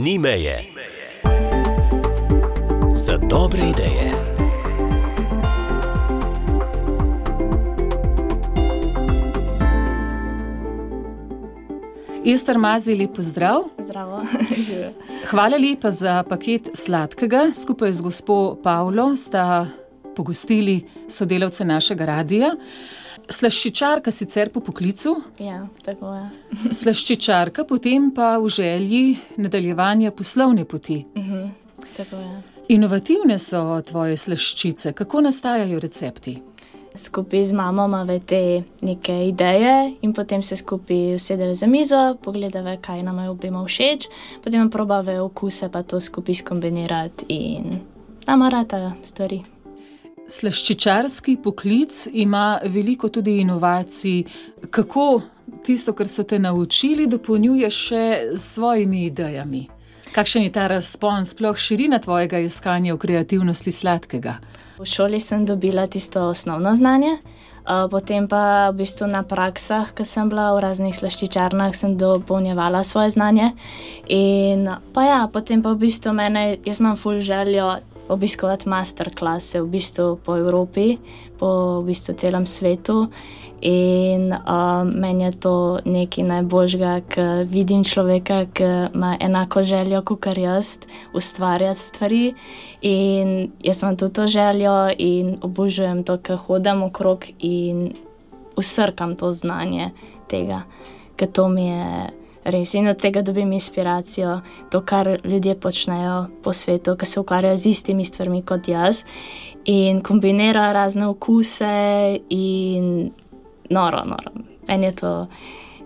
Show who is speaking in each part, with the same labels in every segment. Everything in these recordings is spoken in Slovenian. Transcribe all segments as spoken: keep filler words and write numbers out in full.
Speaker 1: Ni meje. Za dobre ideje.
Speaker 2: Ester Mazej, lep pozdrav.
Speaker 3: Zdravo, živijo.
Speaker 2: Hvala lepa za paket sladkega. Skupaj z gospo Pavlo sta pogostili sodelavce našega radia. Slaščičarka sicer po poklicu.
Speaker 3: Ja, tako je.
Speaker 2: Slaščičarka, potem pa v želji nadaljevanja poslovne poti.
Speaker 3: Uh-huh, tako je.
Speaker 2: Inovativne so tvoje slaščice. Kako nastajajo recepti?
Speaker 3: Skupaj z mamo imamo te neke ideje in potem se skupaj usedeli za mizo, pogledali, kaj nam je obema všeč, potem probave okuse pa to skupaj skombinirati in nama rata stvari.
Speaker 2: Slaščičarski poklic ima veliko tudi inovacij. Kako tisto, kar so te naučili, dopolnjuješ še s svojimi idejami? Kakšen je ta razpon, sploh širina tvojega iskanja v kreativnosti sladkega?
Speaker 3: V šoli sem dobila tisto osnovno znanje, potem pa v bistvu na praksah, ko sem bila v raznih slaščičarnah, sem dopolnjevala svoje znanje. In pa ja, potem pa v bistvu mene, jaz imam ful željo obiskovati masterklase v bistvu po Evropi, po v bistvu celem svetu. In uh, meni je to nekaj najboljšega, ko vidim človeka, ki ima enako željo kakor jaz, ustvarjati stvari. In jaz imam tudi to željo in obožujem to, ko hodim okrog in usrkam to znanje tega, ker to mi je res. In od tega dobim inspiracijo, to, kar ljudje počnejo po svetu, ki se ukvarjajo z istimi stvarmi kot jaz in kombinirajo razne okuse in noro, noro. Meni je to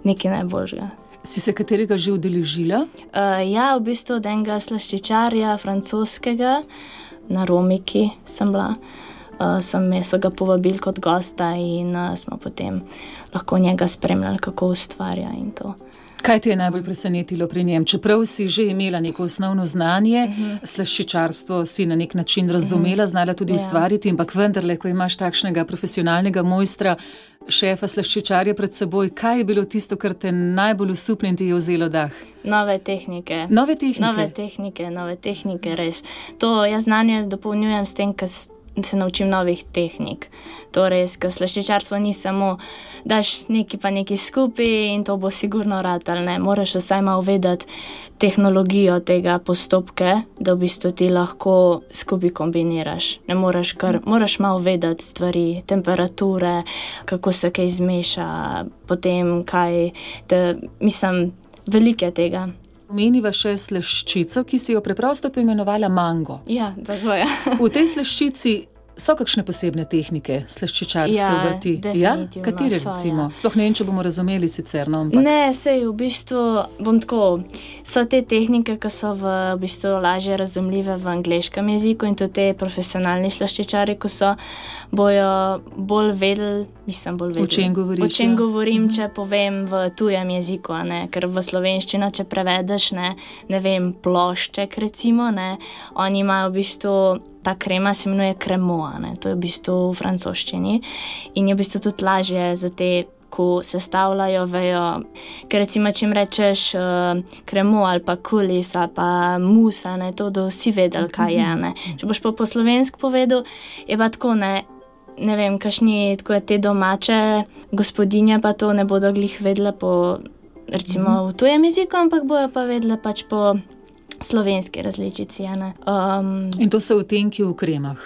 Speaker 3: nekaj najboljšega.
Speaker 2: Si se katerega že udeležila?
Speaker 3: Uh, ja, v bistvu od enega slaščičarja francoskega na Romiki sem bila. Uh, sem so ga povabili kot gosta in uh, smo potem lahko njega spremljali, kako ustvarja in to.
Speaker 2: Kaj te je najbolj presenetilo pri njem? Čeprav si že imela neko osnovno znanje, uh-huh. slaščičarstvo si na nek način razumela, uh-huh. znala tudi yeah. ustvariti, ampak vendarle, ko imaš takšnega profesionalnega mojstra, šefa slaščičarja pred seboj, kaj je bilo tisto, kar te najbolj osupne in ti je vzelo dah?
Speaker 3: Nove tehnike.
Speaker 2: Nove tehnike?
Speaker 3: Nove tehnike, nove tehnike, res. To jaz znanje dopolnjujem s tem, ker se naučim novih tehnik. To res, ker slaščičarstvo ni samo, daš nekaj pa nekaj skupaj in to bo sigurno ratalo, ne. Moraš vsaj malo vedeti tehnologijo tega postopke, da v bistvu ti lahko skupaj kombiniraš. Ne moraš kar, moraš malo vedeti stvari, temperature, kako se kaj zmeša, potem kaj, da, mislim, velike tega.
Speaker 2: Omeniva še slaščico, ki si jo preprosto poimenovala mango.
Speaker 3: Ja, tako je.
Speaker 2: V tej slaščici so kakšne posebne tehnike slaščičarske obrti?
Speaker 3: Ja,
Speaker 2: Ja?
Speaker 3: definitivno
Speaker 2: Katere
Speaker 3: so,
Speaker 2: recimo?
Speaker 3: ja.
Speaker 2: Sploh ne vem, če bomo razumeli sicer, no, ampak...
Speaker 3: Ne, sej v bistvu, bom tako, so te tehnike, ki so v, v bistvu lažje razumljive v angleškem jeziku in tudi te profesionalni slaščičari, ko so, bojo bolj vedeli, mislim bolj vedeli.
Speaker 2: O čem govoriš,
Speaker 3: O čem
Speaker 2: ja.
Speaker 3: govorim, če povem v tujem jeziku, a ne, ker v slovenščino, če prevedeš, ne, ne vem, plošček recimo, ne, oni imajo v bistvu, ta krema se imenuje kremoa, ne, to je v bistvu v francoščini in je v bistvu tudi lažje za te, ko sestavljajo, vejo, ker recimo, če jim rečeš uh, kremo ali pa kulis ali pa musa, ne, to da vsi vedeli, kaj je, ne. Če boš pa po slovensko povedal, je pa tako, ne, ne vem, kakšni tako te domače gospodinje pa to ne bodo glih vedele po, recimo v tujem jeziku, ampak bojo pa vedele pač po slovenski različici, ne. Um,
Speaker 2: In to so odtenki v kremah?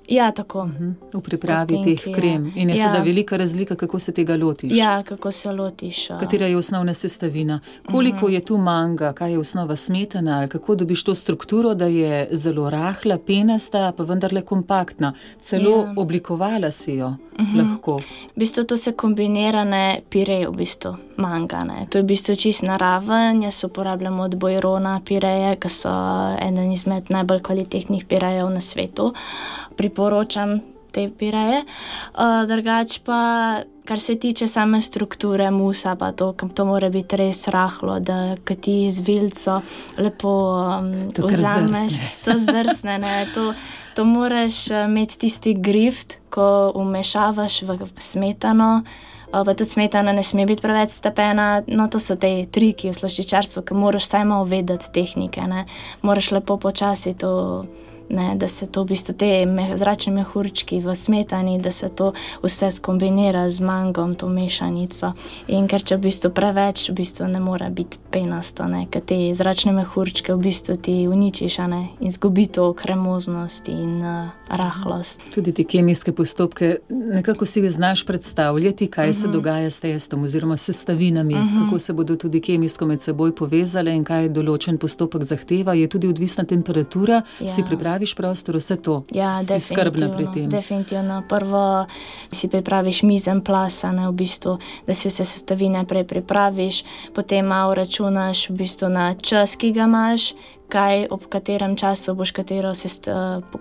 Speaker 3: Ja, tako.
Speaker 2: V pripravi
Speaker 3: Odtenki,
Speaker 2: teh krem. In je
Speaker 3: ja.
Speaker 2: seveda velika razlika, kako se tega lotiš.
Speaker 3: Ja, kako se lotiš. Uh.
Speaker 2: Katera je osnovna sestavina? Koliko je tu manga? Kaj je osnova, smetana? Ali kako dobiš to strukturo, da je zelo rahla, penasta, pa vendarle kompaktna? Celo
Speaker 3: Ja.
Speaker 2: oblikovala si jo lahko.
Speaker 3: V bistvu to se kombinira, ne, pirej v bistvu, manga, ne. To je v bistvu čist naraven, jaz uporabljam od Bojrona pireje, ki so eden izmed najbolj kvalitetnih pirejev na svetu. Priporočam te pireje. Uh, drugač pa, kar se tiče same strukture musa, pa to, to mora biti res rahlo, da ko ti z vilico lepo um,
Speaker 2: To kar
Speaker 3: vzameš,
Speaker 2: zdrsne.
Speaker 3: to zdrsne, ne, to, to moraš imeti tisti grift, ko umešavaš v smetano, pa tudi smetana ne sme biti preveč stepena. No, to so te triki v slaščičarstvu, ki moraš vsaj malo vedeti tehnike, ne. Moraš lepo počasi to, ne, da se to v bistvu te me, zračne mehurčki v smetani, da se to vse skombinira z mangom, to mešanico. In ker če v bistvu preveč, v bistvu ne mora biti penasto, ne, ker te zračne mehurčke v bistvu ti uničiš, a ne, in zgubi to kremoznost in uh, rahlost.
Speaker 2: Tudi te kemijske postopke, nekako si znaš predstavljati, kaj uh-huh. se dogaja s testom oziroma s sestavinami, uh-huh. kako se bodo tudi kemijsko med seboj povezale in kaj določen postopek zahteva, je tudi odvisna temperatura, ja. Si pripraviš prostor, vse to,
Speaker 3: ja,
Speaker 2: si skrbna pri tem.
Speaker 3: Definitivno. Prvo si pripraviš mizen plasa, ne, v bistvu, da si vse sestavine prej pripraviš, potem malo računaš v bistvu na čas, ki ga imaš, kaj, ob katerem času boš katero sest,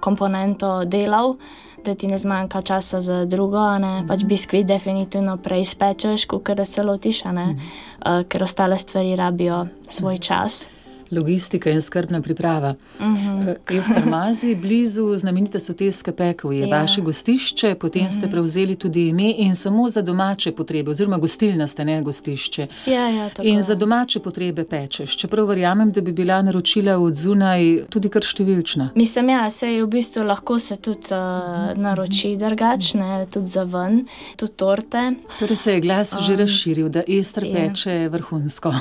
Speaker 3: komponento delal, da ti ne zmanjka časa za drugo, ne, mm-hmm. pač biskvit definitivno prej spečeš, kakor da se lotiš, ne, mm-hmm. uh, ker ostale stvari rabijo svoj čas.
Speaker 2: Logistika in skrbna priprava.
Speaker 3: Uh-huh.
Speaker 2: Ester Mazij, blizu znamenite Soteske Pekel je ja. Vaše gostišče, potem uh-huh. ste prevzeli tudi ime in samo za domače potrebe, oziroma gostilna ste, ne gostišče.
Speaker 3: Ja, ja, tako
Speaker 2: in
Speaker 3: je.
Speaker 2: Za domače potrebe pečeš. Čeprav verjamem, da bi bila naročila od zunaj tudi kar številčna.
Speaker 3: Mislim, ja, sej v bistvu lahko se tudi uh, naroči drugačne, tudi za ven, tudi torte.
Speaker 2: Torej se je glas um, že razširil, da Ester
Speaker 3: ja.
Speaker 2: peče vrhunsko.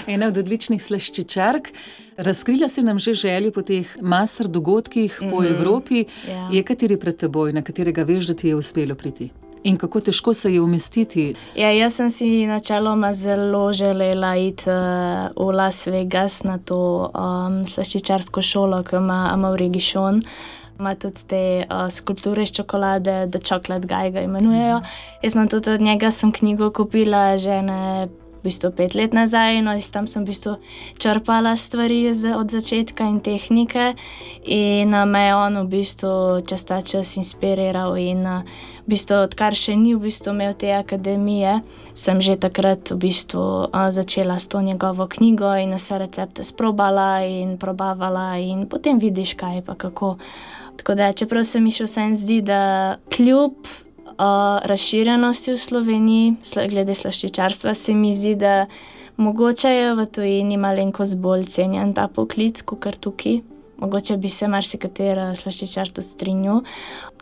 Speaker 2: Ena od odličnih slaščičark. Razkrila si nam že željo po teh master dogodkih mm-hmm. po Evropi.
Speaker 3: Yeah.
Speaker 2: Je kateri pred teboj, na katerega veš, da ti je uspelo priti? In kako težko se je umestiti?
Speaker 3: Ja, jaz sem si načeloma zelo želela iti uh, v Las Vegas na to um, slaščičarsko šolo, ki ima Amaury Guichon. Ima tudi te uh, skulpture iz čokolade, The Chocolate Guy ga imenujejo. Mm-hmm. Jaz sem tudi od njega sem knjigo kupila že ne v bistvu pet let nazaj, no in tam sem v bistvu črpala stvari z, od začetka in tehnike in uh, me je on v bistvu čez ta čas inspiriral in uh, v bistvu, odkar še ni v bistvu imel te akademije, sem že takrat v bistvu uh, začela s to njegovo knjigo in vse recepte sprobala in probavala in potem vidiš kaj pa kako. Tako da, čeprav se mi še vsem zdi, da kljub Uh, razširjenosti v Sloveniji, glede slaščičarstva, se mi zdi, da mogoče je v tujini malenkost bolj cenjen ta poklic, kakor tukaj. Mogoče bi se marsikatera slaščičar tudi strinjal.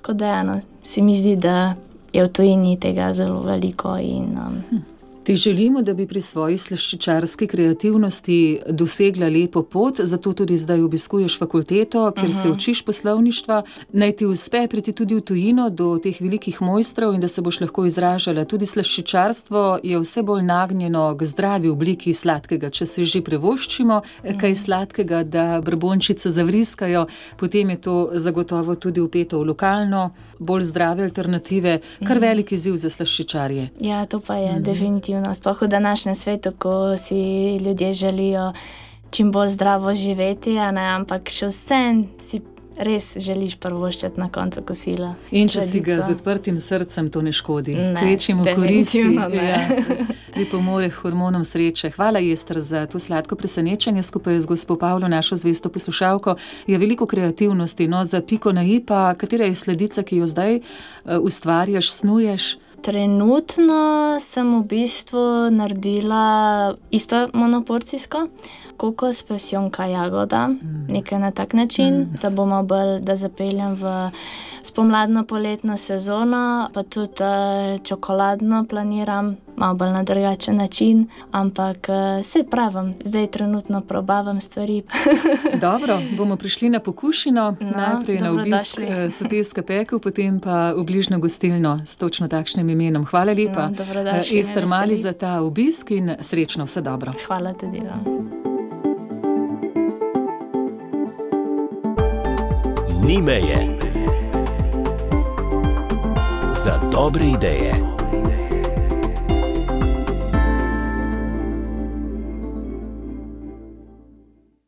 Speaker 3: Tako da, no, se mi zdi, da je v tujini tega zelo veliko in... Um, hm.
Speaker 2: Ti želimo, da bi pri svoji slaščičarski kreativnosti dosegla lepo pot, zato tudi zdaj obiskuješ fakulteto, ker uh-huh. se učiš poslovništva. Naj ti uspe priti tudi v tujino do teh velikih mojstrov in da se boš lahko izražala. Tudi slaščičarstvo je vse bolj nagnjeno k zdravi obliki sladkega. Če se že privoščimo uh-huh. kaj sladkega, da brbončice zavriskajo, potem je to zagotovo tudi vpeto v lokalno, bolj zdrave alternative. Kar uh-huh. velik izziv za slaščičarje.
Speaker 3: Ja, to pa je uh-huh. definitivno. Sploh v današnjem svetu, ko si ljudje želijo čim bolj zdravo živeti, a ne, ampak še vsem si res želiš prvoščati na koncu kosila.
Speaker 2: In če si ga z odprtim srcem, to ne škodi.
Speaker 3: Ne,
Speaker 2: Kvečimo koristi.
Speaker 3: ne.
Speaker 2: Ja. Pripomore hormonom sreče. Hvala, Ester, za to sladko presenečenje skupaj z gospo Pavlo, našo zvesto poslušalko. Je veliko kreativnosti, no, za piko na i pa, katera je sledica, ki jo zdaj uh, ustvarjaš, snuješ?
Speaker 3: Trenutno sem v bistvu naredila isto monoporcijsko, kokos, pasjonka, jagoda, mm. nekaj na tak način, mm. da bomo bolj, da zapeljem v spomladno-poletno sezono, pa tudi uh, čokoladno planiram, malo bolj na drugačen način, ampak uh, se pravim, zdaj trenutno probavam stvari.
Speaker 2: Dobro, bomo prišli na pokušino, no, najprej na obisk uh, Soteske Pekel, potem pa v bližnjo gostilno s točno takšnim imenom. Hvala lepa,
Speaker 3: no,
Speaker 2: uh, Ester Mazij, za ta obisk in srečno, vse dobro.
Speaker 3: Hvala tudi vam.
Speaker 1: Ni meje za dobre ideje.